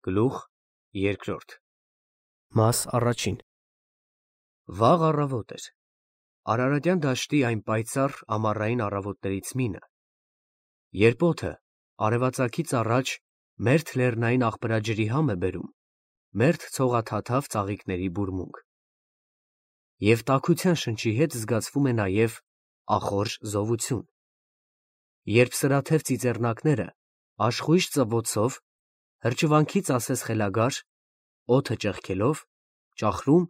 Գլուխ երկրորդ Մաս առաջին Վաղ առավոտ էր։ Արարատյան դաշտի այն պայծառ ամառային առավոտներից մինը, երբ օդը արևածագից առաջ մերթ լեռնային աղբրաջրի համ է բերում, մերթ ցողաթաթավ ծաղիկների բուրմունք։ Եվ տաքության շնչի հետ զգացվում է նաև ախորժ զովություն, երբ սրաթև ծիծեռնակները աշխույժ ծվոցով, հրճվանքից ասես խելագար, օդը ճեղքելով, ճախրում,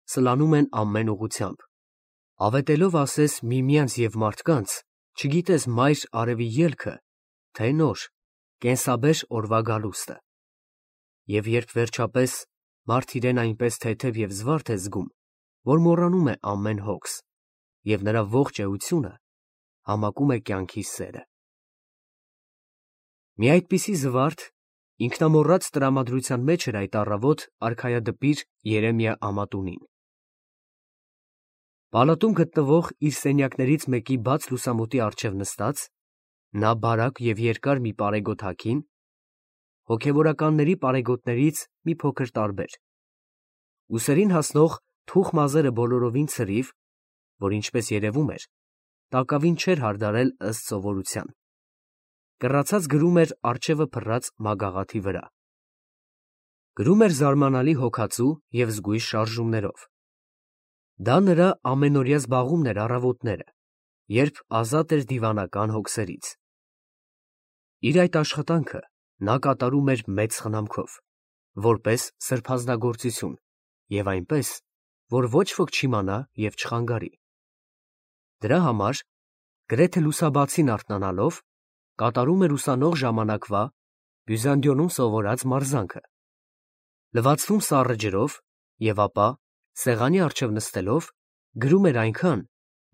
սլանում են ամեն ուղղությամբ, ավետելով ասես միմյանց և մարդկանց, չգիտես մայր արևի ելքը, թե նոր, կենսաբեր օրվա գալուստը։ Եվ երբ վերջապես մարդ իրեն այնպես թեթև և զվարթ է զգում, որ մոռանում է ամեն հոգս, և նրա ողջ էությունը համակում է կյանքի սերը։ Մի այդպիսի զվարթ, ինքնամոռաց տրամադրության մեջ էր այդ առավոտ արքայադպիր Երեմիա Ամատունին։ Պալատում գտնվող իր սենյակներից մեկի բաց լուսամուտի առջև նստած, նա բարակ և երկար մի պարեգոտ հագին, հոգևորականների պարեգոտներից մի փոքր տարբեր, ուսերին հասնող թուխ մազերը բոլորովին ցրիվ, որ ինչպես երևում էր, տակավին չէր հարդարել ըստ սովորության, կռացած գրում էր առջևը փռած մագաղաթի վրա։ Գրում էր զարմանալի հոգածու և զգույշ շարժումներով։ Դա նրա ամենօրյա զբաղումն էր առավոտները, երբ ազատ էր դիվանական հոգսերից։ Իր այդ աշխատանքը նա կատարում էր մեծ խնամքով, որպես սրբազնագործություն և այնպես, որ ոչ ոք չիմանա և չխանգարի։ Դրա համար, գրեթե լուսաբացին արթնանալով, կատարում էր ուսանող ժամանակվա Բյուզանդիոնում սովորած մարզանքը, լվացվում սառը ջրով և ապա, սեղանի առջև նստելով, գրում էր այնքան,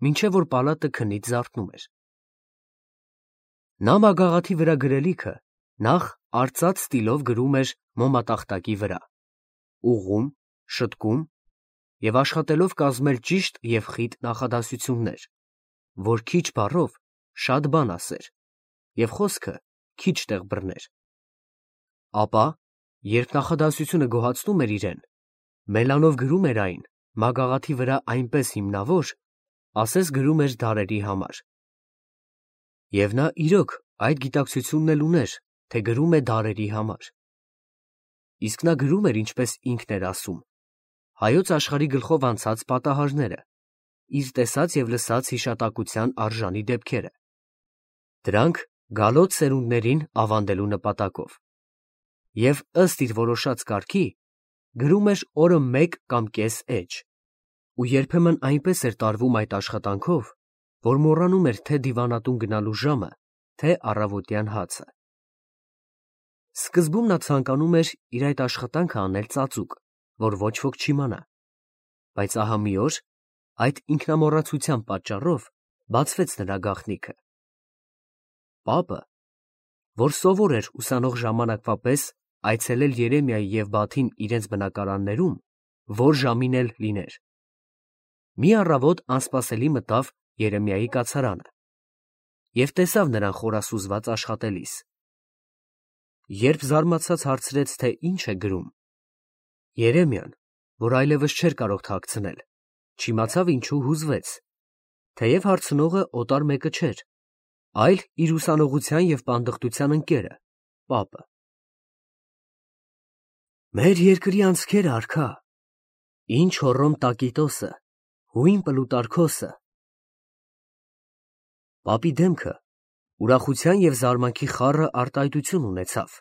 մինչև որ պալատը քնից զարթնում էր։ Նա մագաղաթի վրա գրելիքը նախ արծաթ ստիլով գրում էր մոմատախտակի վրա, ուղղում, շտկում և աշխատելով կազմել ճիշտ և խիտ նախադասություններ, որ քիչ բառով շատ բան ասեր և խոսքը քիչ տեղ բռներ։ Ապա, երբ նախադասությունը գոհացնում էր իրեն, մելանով գրում էր այն մագաղաթի վրա այնպես հիմնավոր, ասես գրում էր դարերի համար։ Եվ նա իրոք այդ գիտակցությունն էլ ուներ, թե գրում է դարերի համար։ Իսկ նա գրում էր, ինչպես ինքն էր ասում, հայոց աշխարհի գլխով անցած պատահարները, իր տեսած և լսած հիշատակության արժանի դեպքերը, դրանք գալոց սերունդներին ավանդելու նպատակով, և ըստ իր որոշած կարգի, գրում էր օրը մեկ կամ կես էջ, ու երբեմն այնպես էր տարվում այդ աշխատանքով, որ մոռանում էր թե դիվանատուն գնալու ժամը, թե առավոտյան հացը։ Սկզբում նա ցանկանում էր իր այդ աշխատանքը անել ծածուկ, որ ոչ ոք չիմանա, բայց ահա մի օր, այդ ինքնամոռացության պատճառով, բացվեց նրա գաղտնիքը։ Պապը, որ սովոր էր ուսանող ժամանակվա պես այցելել Երեմիայի և Բաթին իրենց բնակարաններում, որ ժամին էլ լիներ, մի առավոտ անսպասելի մտավ Երեմիայի կացարանը և տեսավ նրան խորասուզված աշխատելիս։ Երբ զարմացած հարցրեց, թե ինչ է գրում, Երեմիան, որ այլևս չէր կարող թաքցնել, չիմացավ ինչու հուզվեց, թեև հարցնողը օտար մեկը չէր, այլ իր ուսանողության և պանդխտության ընկերը, պապը։ Մեր երկրի անցքերը, արքա, ինչ հոռոմ Տակիտոսը, հույն Պլուտարքոսը։ Պապի դեմքը ուրախության և զարմանքի խառը արտահայտություն ունեցավ։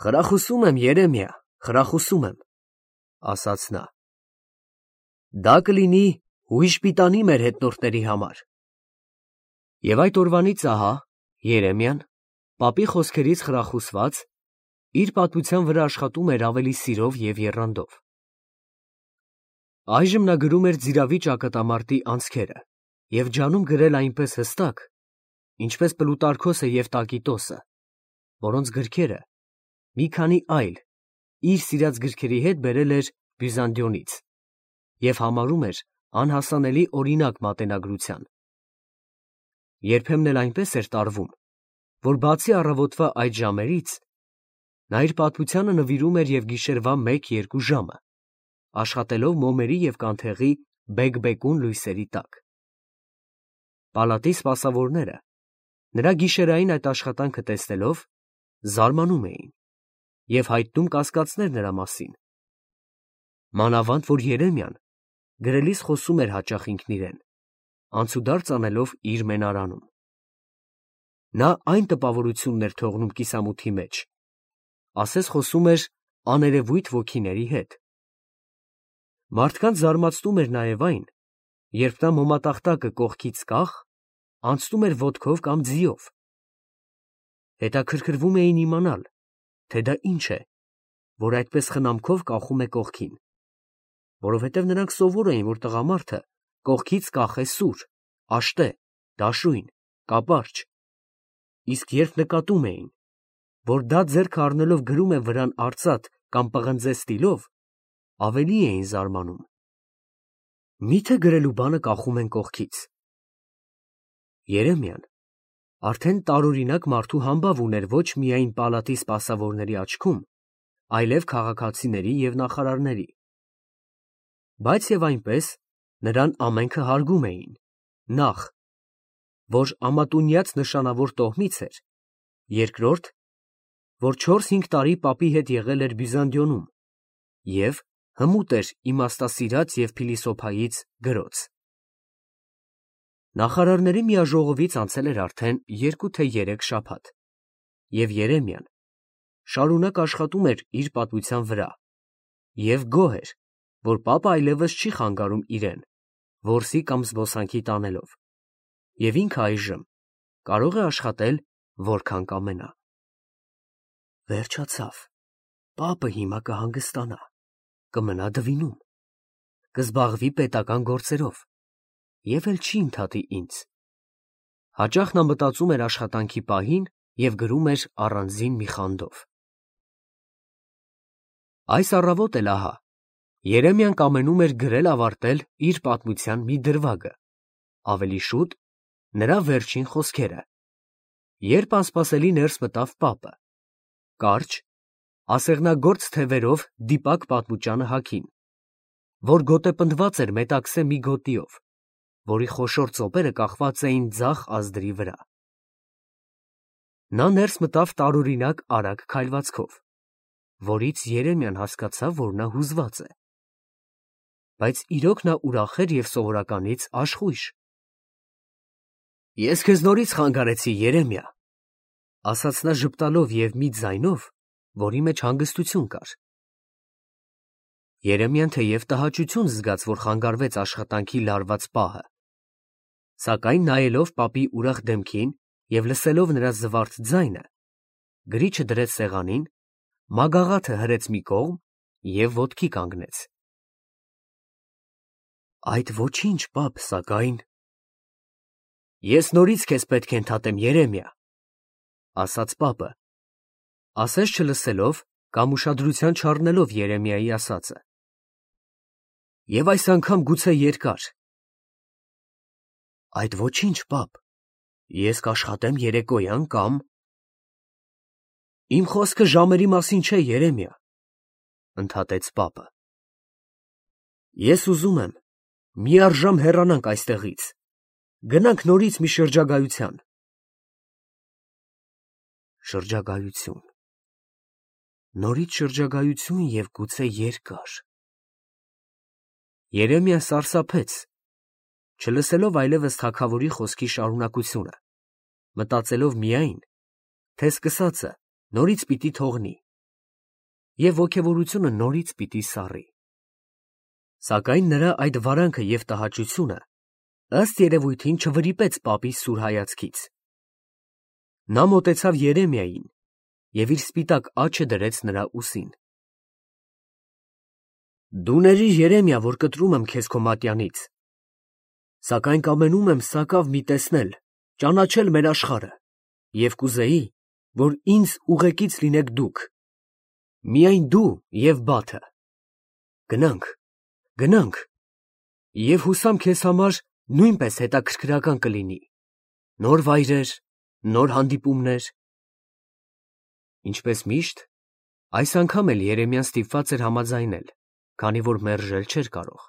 Խրախուսում եմ, Երեմիա, խրախուսում եմ, ասաց նա։ Դա կլինի հույժ պիտանի մեր հետնորդների համար։ Եվ այդ օրվանից ահա Երեմիան, պապի խոսքերից խրախուսված, իր պատմության վրա աշխատում էր ավելի սիրով և եռանդով։ Այժմ նա գրում էր Ձիրավի ճակատամարտի անցքերը և ջանում գրել այնպես հստակ, ինչպես Պլուտարքոսը և Տակիտոսը, որոնց գրքերը մի քանի այլ իր սիրած գրքերի հետ բերել էր Բյուզանդիոնից և համարում էր անհասանելի օրինակ մատենագրության։ Երբեմն էլ այնպես էր տարվում, որ բացի առավոտվա այդ ժամերից, Նա իր պատմությանը նվիրում էր և գիշերվա 1-2 ժամը, աշխատելով մոմերի և կանթեղի բեկ-բեկուն լույսերի տակ։ Պալատի սպասավորները, նրա գիշերային այդ աշխատանքը տեսնելով, զարմանում էին և հայտնում կասկածներ նրա մասին։ Մանավանդ որ Երեմիան գրելիս խոսում էր հաճախ ինքն իրեն, անցուդարձ անելով իր մենարանում։ Նա այն տպավորությունն էր թողնում կիսամութի մեջ, ասես խոսում էր աներևույթ ոգիների հետ։ Մարդկանց զարմացնում էր նաև այն, երբ նա մոմատախտակը կողքից կախ, անցնում էր ոտքով կամ ձիով։ Հետաքրքրվում էին իմանալ, թե դա ինչ է, որ այդպես խնամքով կախում է կողքին, որովհետև նրանք սովոր էին, որ տղամարդը կողքից կախե սուր, աշտե, դաշույն, կապարճ, իսկ երբ նկատում էին, որ դա ձեռքը առնելով գրում է վրան արծաթ կամ պղնձե ստիլով, ավելի էին զարմանում։ Մի՞թե գրելու բանը կախում են կողքից։ Երեմիան արդեն տարօրինակ մարդու համբավ ուներ ոչ միայն պալատի սպասավորների աչքում, այլև քաղաքացիների և նախարարների։ Բայց և այնպես նրան ամենքը հարգում էին, նախ, որ ամատունյաց նշանավոր տոհմից էր, երկրորդ, որ 4-5 տարի պապի հետ եղել էր Բյուզանդիոնում և հմուտ էր իմաստասիրած և փիլիսոփայից գրոց։ Նախարարների միաժողովից անցել էր արդեն 2 թե 3 շաբաթ, և Երեմիան շարունակ աշխատում էր իր պատմության վրա և գոհ էր, որ պապը այլևս չի խանգարում իրեն, որսի կամ զբոսանքի տանելով, և ինքը այժմ կարող է աշխատել որքան կամենա։ Վերջացավ, պապը հիմա կհանգստանա, կմնա դվինում, կզբաղվի պետական գործերով և էլ չի ընդհատի ինձ։ Հաճախ նա մտածում էր աշխատանքի պահին և գրում էր առանձին մի խանդով։ Այս առավոտ էլ ահա, Երեմիան կամենում էր գրել ավարտել իր պատմության մի դրվագը, ավելի շուտ նրա վերջին խոսքերը, երբ անսպասելի ներս մտավ պապը, կարճ, ասեղնագործ թևերով դիպակ պատմուճանը հագին, որ գոտեպնդված էր մետաքսե մի գոտիով, որի խոշոր ծոպերը կախված էին ձախ ազդրի վրա։ Նա ներս մտավ տարօրինակ արագ քայլվածքով, որից Երեմիան հասկացավ, որ նա հուզված է։ Բայց իրոք նա ուրախ էր և սովորականից աշխույժ։ Ես քեզ նորից խանգարեցի, Երեմիա, ասաց նա ժպտալով և մի ձայնով, որի մեջ հանգստություն կար։ Երեմիան թեև տհաճություն զգաց, որ խանգարվեց աշխատանքի լարված պահը, սակայն նայելով պապի ուրախ դեմքին և լսելով նրա զվարթ ձայնը, գրիչը դրեց սեղանին, մագաղաթը հրեց մի կողմ և ոտքի կանգնեց։ Այդ ոչինչ, պապ, սակայն… Ես նորից քեզ պետք է ընդհատեմ, Երեմիա, ասաց պապը, ասես չլսելով կամ ուշադրության չառնելով Երեմիայի ասածը։ Եվ այս անգամ գուցե երկար։ Այդ ոչինչ, պապ, ես կաշխատեմ երեկոյան կամ… Իմ խոսքը ժամերի մասին չէ, Երեմիա, ընդհատեց պապը։ Ես ուզում եմ միառժամ հեռանանք այստեղից, գնանք նորից մի շրջագայության։ Շրջագայություն… Նորից շրջագայություն և գուցե երկար… Երեմիան սարսափեց, չլսելով այլևս թագավորի խոսքի շարունակությունը, մտածելով միայն, թե սկսածը նորից պիտի թողնի և ոգևորությունը նորից պիտի սառի։ Սակայն նրա այդ վարանքը և տհաճությունը ըստ երևույթին չվրիպեց պապի սուր հայացքից։ Նա մոտեցավ Երեմիային և իր սպիտակ աջը դրեց նրա ուսին։ Դու ներիր, Երեմիա, որ կտրում եմ քեզ քո մատյանից, սակայն կամենում եմ սակավ մի տեսնել, ճանաչել մեր աշխարհը և կուզեի, որ ինձ ուղեկից լինեք դուք, միայն դու և բաթը։ Գնանք, գնանք, և հուսամ քեզ համար նույնպես հետաքրքրական կլինի, նոր վայրեր, նոր հանդիպումներ… Ինչպես միշտ, Այս անգամ էլ Երեմիան ստիպված էր համաձայնել, քանի որ մերժել չէր կարող։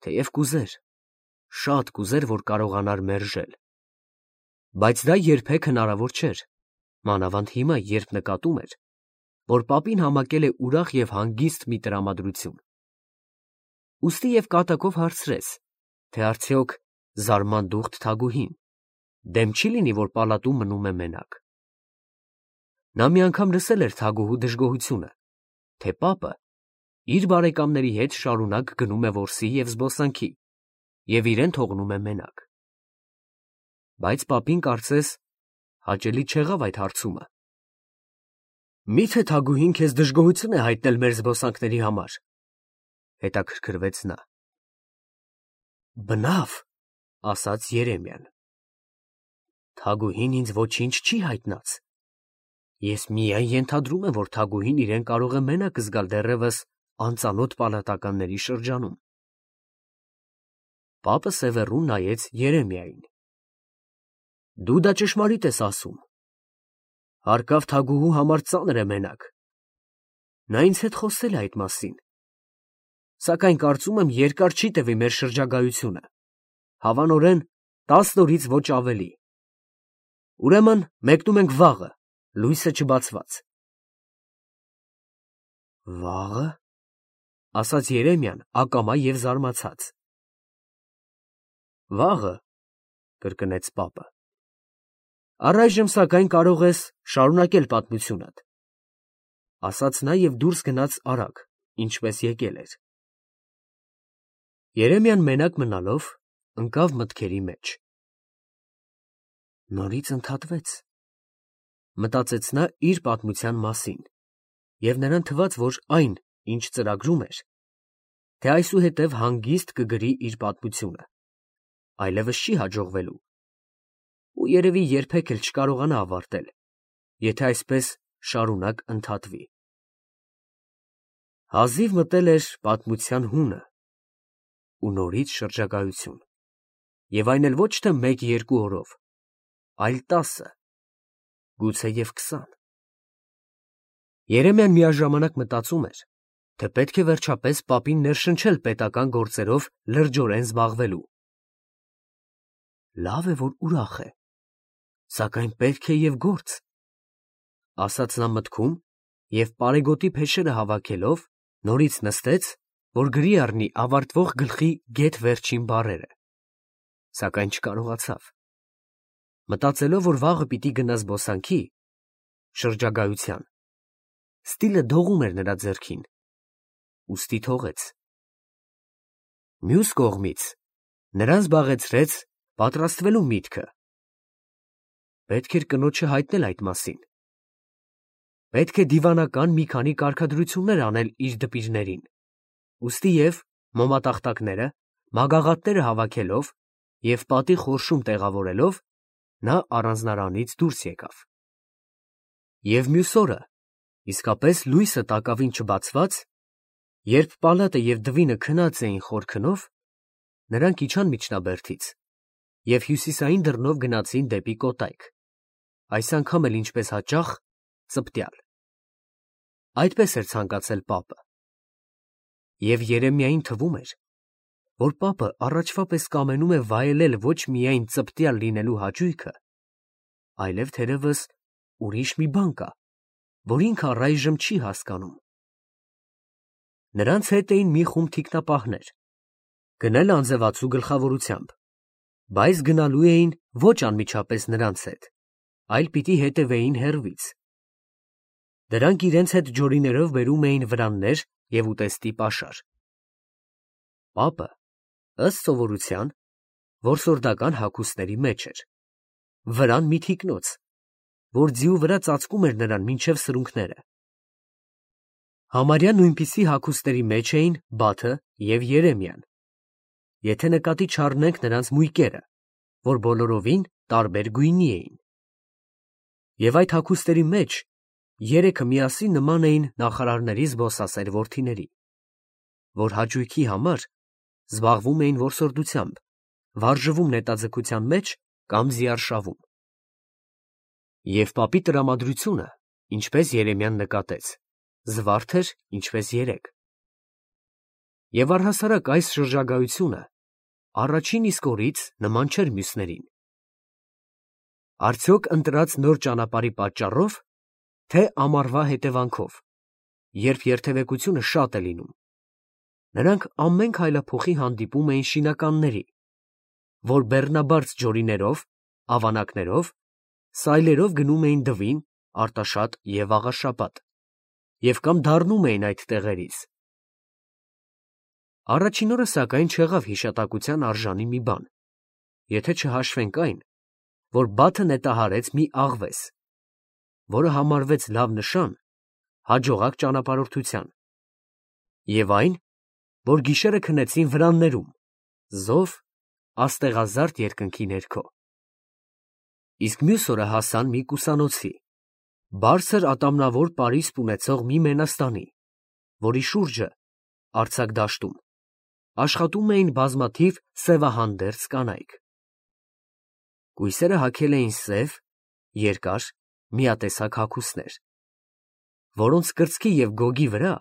Թեև կուզեր, շատ կուզեր, որ կարողանար մերժել, բայց դա երբեք հնարավոր չէր, մանավանդ հիմա, երբ նկատում էր, որ պապին համակել է ուրախ և հանգիստ մի տրամադրություն։ Ուստի և կատակով հարցրեց, թե արդյոք զարմանդուխտ Թագուհին դեմ չի լինի, որ պալատում մնում է մենակ։ Նա մի անգամ լսել էր Թագուհու դժգոհությունը, թե պապը իր բարեկամների հետ շարունակ գնում է որսի և զբոսանքի և իրեն թողնում է մենակ։ Բայց պապին կարծես հաճելի չեղավ այդ հարցումը։ Մի՞թե Թագուհին քեզ դժգոհություն է հայտնել մեր զբոսանքների համար, հետաքրքրվեց նա։ Բնավ, ասաց Երեմիան։ Թագուհին ինձ ոչինչ չի հայտնած։ Ես միայն ենթադրում եմ, որ Թագուհին իրեն կարող է մենակ զգալ դեռևս անծանոթ պալատականների շրջանում։ Պապը սևեռուն նայեց Երեմիային։ Դու դա ճշմարիտ ես ասում։ Հարկավ Թագուհու համար ծանր է մենակ։ Նա ինձ հետ խոսել է այդ մասին։ Սակայն կարծում եմ երկար չի տևի մեր շրջագայությունը, հավանորեն 10 օրից ոչ ավելի։ Ուրեմն մեկնում ենք վաղը, լույսը չբացված։ Վաղը, ասաց Երեմիան ակամա և զարմացած։ Վաղը, կրկնեց պապը։ Առայժմ սակայն կարող ես շարունակել պատմությունդ, ասաց նա և դուրս գնաց արագ, ինչպես եկել էր։ Երեմիան մենակ մնալով ընկավ մտքերի մեջ։ Նորից ընդհատվեց, մտածեց նա իր պատմության մասին, և նրան թվաց, որ այն, ինչ ծրագրում էր, թե այսուհետև հանգիստ կգրի իր պատմությունը, այլևս չի հաջողվելու, ու երևի երբեք էլ չկարողանա ավարտել, եթե այսպես շարունակ ընդհատվի։ Հազիվ մտել էր պատմության հունը ու նորից շրջագայություն, և այն էլ ոչ թե 1-2 օրով, այլ 10, գուցեև 20։ Երեմիան միաժամանակ մտածում էր, թե պետք է վերջապես պապին ներշնչել պետական գործերով լրջորեն զբաղվելու։ Լավ է, որ ուրախ է, սակայն պետք է և գործ, ասաց նա մտքում և պարեգոտի փեշերը հավաքելով նորից նստեց, որ գրի առնի ավարտվող գլխի գեթ վերջին բառերը, սակայն չկարողացավ։ Մտածելով, որ վաղը պիտի գնա զբոսանքի, շրջագայության, ստիլը դողում էր նրա ձեռքին, ուստի թողեց։ Մյուս կողմից նրան զբաղեցրեց պատրաստվելու միտքը։ Պետք էր կնոջը հայտնել այդ մասին։ Պետք է դիվանական մի քանի կարգադրություններ անել իր դպիրներին, ուստի և մոմատախտակները, մագաղատները հավաքելով և պատի խորշում տեղավորելով, նա առանձնարանից դուրս եկավ։ Եվ մյուս օրը, իսկապես լույսը տակավին չբացված, երբ պալատը և դվինը քնած էին խոր քնով, նրանք իջան միջնաբերդից և հյուսիսային դռնով գնացին դեպի կոտայք, այս անգամ էլ ինչպես հաճախ, ծպտյալ։ Այդպես էր ցանկացել պապը։ Եվ Երեմիային թվում էր, որ պապը առաջվա պես կամենում է վայելել ոչ միայն ծպտյալ լինելու հաճույքը, այլև թերևս ուրիշ մի բան կա, որ ինքը առայժմ չի հասկանում։ Նրանց հետ էին մի խումբ թիկնապահներ, գնել անձևացու գլխավորությամբ, բայց գնալու էին ոչ անմիջապես նրանց հետ, այլ պիտի հետևեին հեռվից։ Դրանք իրենց հետ ջորիներով բերում էին վրաններ և ուտեստի պաշար։ Պապը, ըստ սովորության, որսորդական հագուստների մեջ էր, վրան մի թիկնոց, որ ձիու վրա ծածկում էր նրան մինչև սրունքները։ Համարյա նույնպիսի հագուստների մեջ էին Բաթը և Երեմիան, եթե նկատի չառնենք նրանց մույկերը, որ բոլորովին տարբեր գույնի էին։ Եվ այդ հագուստների մեջ երեքը միասին նման էին նախարարների զբոսասեր որդիների, որ հաճույքի համար զբաղվում էին որսորդությամբ, վարժվում նետաձգության մեջ կամ զիարշավում։ Եվ պապի տրամադրությունը ինչպես Երեմյան նկատեց, զվարթ էր, ինչպես երեկ։ Եվ առհասարակ այս շրջագայությունը առաջին իսկ օրից նման չէր մյուսներին։ Արդյոք ընտրած նոր ճանապարհի պատճառով, թե ամառվա հետևանքով, երբ երթևեկությունը շատ է լինում, նրանք ամեն քայլափոխի հանդիպում էին շինականների, որ բեռնաբարդ ջորիներով, ավանակներով, սայլերով գնում էին Դվին, Արտաշատ և Աղաշապատ, և կամ դառնում էին այդ տեղերից։ Առաջին օրը սակայն չեղավ հիշատակության արժանի մի բան, եթե չհաշվենք այն, որ Բաթը նետահարեց մի աղվես, որը համարվեց լավ նշան հաջողակ ճանապարհորդության, և այն, որ գիշերը քնեցին վրաններում, զով, աստեղազարդ երկնքի ներքո։ Իսկ մյուս օրը հասան մի կուսանոցի, բարձր ատամնավոր պարիսպ ունեցող մի մենաստանի, որի շուրջը, արձակ դաշտում, աշխատում էին բազմաթիվ սևահանդերձ կանայք։ Կույսերը հագել էին սև, երկար, միատեսակ հագուստներ, որոնց կրծքի և գոգի վրա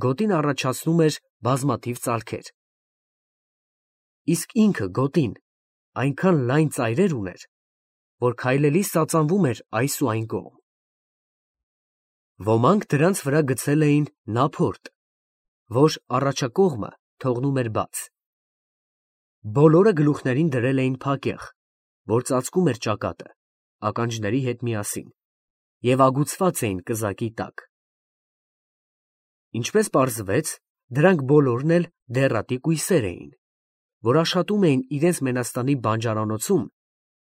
գոտին առաջացնում էր բազմաթիվ ծալքեր։ Իսկ ինքը գոտին այնքան լայն ծայրեր ուներ, որ քայլելիս ծածանվում էր այս ու այն կողմ։ Ոմանք դրանց վրա գցել էին նափորդ, որ առաջակողմը թողնում էր բաց։ Բոլորը գլուխներին դրել էին փակեղ, որ ծածկում էր ճակատը, ականջների հետ միասին, և ագուցված էին կզակի տակ։ Ինչպես պարզվեց, դրանք բոլորն էլ դեռատի կույսեր էին, որ աշխատում էին իրենց մենաստանի բանջարանոցում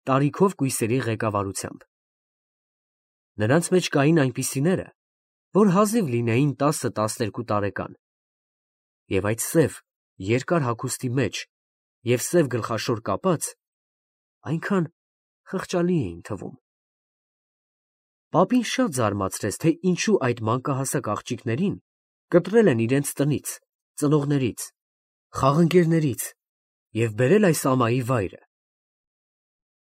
տարիքով կույսերի ղեկավարությամբ։ Նրանց մեջ կային այնպիսիները, որ հազիվ լինեին 10-12 տարեկան, և այդ սև, երկար հագուստի մեջ և սև գլխաշոր կապած այնքան խղճալի էին թվում։ Պապին շատ զարմացրեց, թե ինչու այդ մանկահասակ աղջիկներին կտրել են իրենց տնից, ծնողներից, խաղընկերներից և բերել այս ամայի վայրը։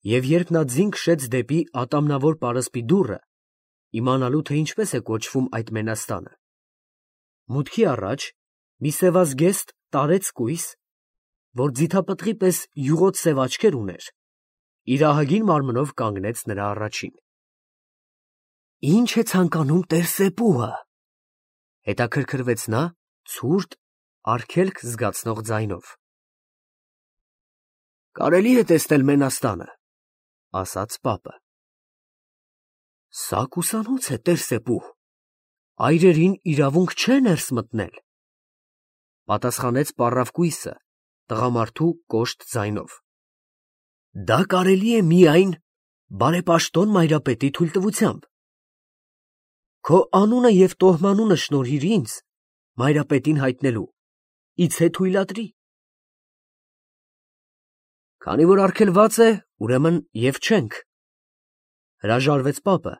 Եվ երբ նա ձին քշեց դեպի ատամնավոր պարսպի դուռը, իմանալու, թե ինչպես է կոչվում այդ մենաստանը, մուտքի առաջ մի սևազգեստ տարեց կույս, որ ձիթապտղի պես յուղոտ սև աչքեր ուներ, իր ահագին մարմնով կանգնեց նրա առաջին։ «Ի՞նչ է ցանկանում տեր֊Սեպուհը», հետաքրքրվեց նա ցուրտ, արգելք զգացնող ձայնով։ «Կարելի է տեսնել մենաստանը», ասաց պապը։ «Սա կուսանոց է, տեր֊Սեպուհ, այրերին իրավունք չէ ներս մտնել», պատասխանեց պառավ կույսը տղամարդու կոշտ ձայնով։ «Դա կարելի է միայն բարեպաշտոն մայրապետի թույլտվությամբ։ Քո անունը և տոհմանունը շնորհիր ինձ մայրապետին հայտնելու, իցե թույլատրի»։ «Քանի որ արգելված է, ուրեմն և չենք», հրաժարվեց պապը,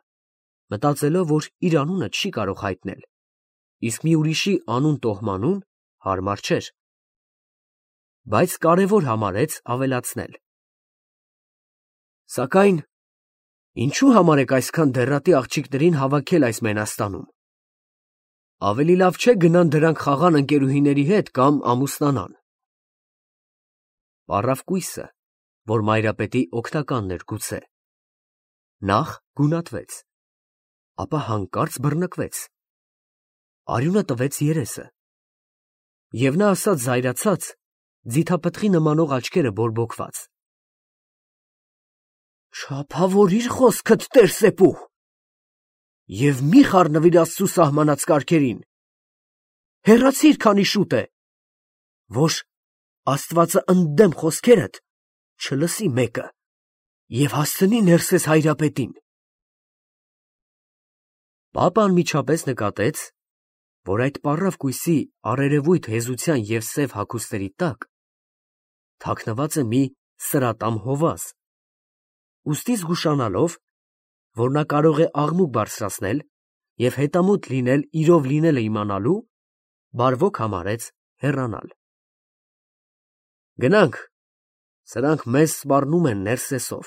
մտածելով, որ իր անունը չի կարող հայտնել, իսկ մի ուրիշի անուն֊տոհմանուն հարմար չէր, բայց կարևոր համարեց ավելացնել. «Սակայն ինչու համար եք այսքան դեռատի աղջիկներին հավաքել այս մենաստանում։ Ավելի լավ չէ գնան դրանք խաղան ընկերուհիների հետ կամ ամուսնանան»։ Պառավ կույսը, որ մայրապետի օգնականն էր գուցե, նախ գունատվեց, ապա հանկարծ բռնկվեց, արյունը տվեց երեսը, և նա ասաց զայրացած, ձիթապտղի նմանող աչքերը բորբոքված. «Չափավորիր խոսքդ, տեր֊Սեպուհ, և մի խառնվիր Աստծու սահմանած կարգերին, հեռացիր, քանի շուտ է, որ աստվածը ընդդեմ խոսքերդ չլսի մեկը և հասցնի ներսես հայրապետին»։ Պապը անմիջապես նկատեց, որ այդ պառավ կույսի առերևույթ հեզության և սև հագուստերի տակ թաքնված է մի սրատամ հովազ, ուստի զգուշանալով, որ նա կարող է աղմուկ բարձրացնել և հետամուտ լինել իրով լինելը իմանալու, բարվոք համարեց հեռանալ։ «Գնանք, սրանք մեզ սպառնում են ներսեսով»։